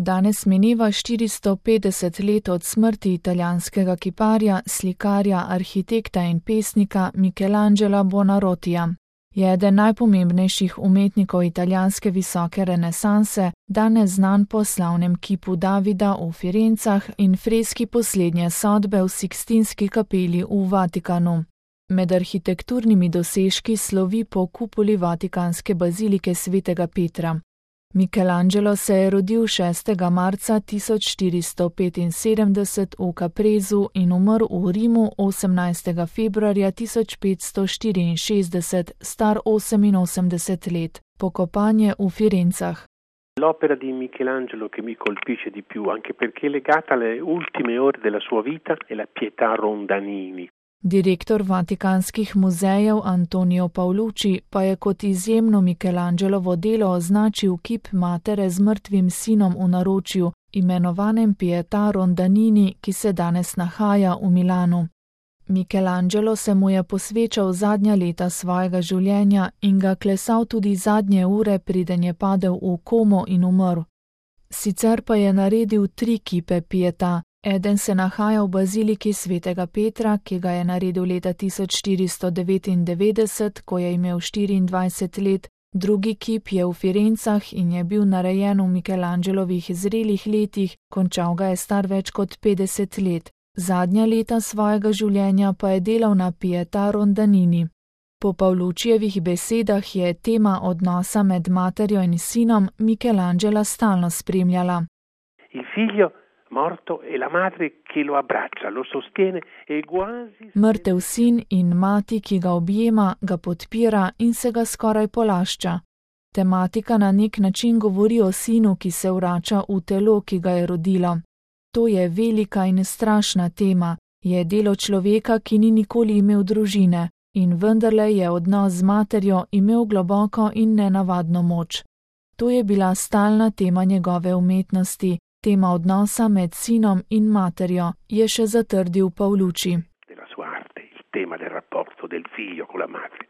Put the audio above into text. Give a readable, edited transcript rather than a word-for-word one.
Danes mineva 450 let od smrti italijanskega kiparja, slikarja, arhitekta in pesnika Michelangela Buonarrotija. Je eden najpomembnejših umetnikov italijanske visoke renesanse, danes znan po slavnem kipu Davida v Firencah in freski Poslednje sodbe v Sikstinski kapeli v Vatikanu. Med arhitekturnimi dosežki slovi po kupoli vatikanske bazilike svetega Petra. Michelangelo se je rodil 6. marca 1475 v Capresu in umrl v Rimu 18. februarja 1564, star 88 let. Pokopan je v Firencah. L'opera di Michelangelo che mi colpisce di più, anche perché è legata alle ultime ore della sua vita, è la Pietà Rondanini. Direktor Vatikanskih muzejev Antonio Paolucci pa je kot izjemno Michelangelovo delo označil kip matere z mrtvim sinom v naročju, imenovanem Pietà Rondanini, ki se danes nahaja v Milanu. Michelangelo se mu je posvečal zadnja leta svojega življenja in ga klesal tudi zadnje ure, preden je padel v komo in umrl. Sicer pa je naredil 3 kipe Pietà. Eden se nahaja v baziliki svetega Petra, ki ga je naredil leta 1499, ko je imel 24 let, drugi kip je v Firencah in je bil narejen v Michelangelovih zrelih letih, končal ga je star več kot 50 let. Zadnja leta svojega življenja pa je delal na Pietà Rondanini. Po Paoluccijevih besedah je tema odnosa med materjo in sinom Michelangela stalno spremljala. Il figlio morto e la madre che lo abbraccia, lo sostiene e quasi... Mrtev sin in mati, ki ga objema, ga podpira in se ga skoraj polašča. Tematika na nek način govori o sinu, ki se vrača v telo, ki ga je rodilo. To je velika in strašna tema, je delo človeka, ki ni nikoli imel družine, in vendarle je odnos z materjo imel globoko in nenavadno moč. To je bila stalna tema njegove umetnosti, tema odnosa med sinom in materjo, je še zatrdil Paolucci.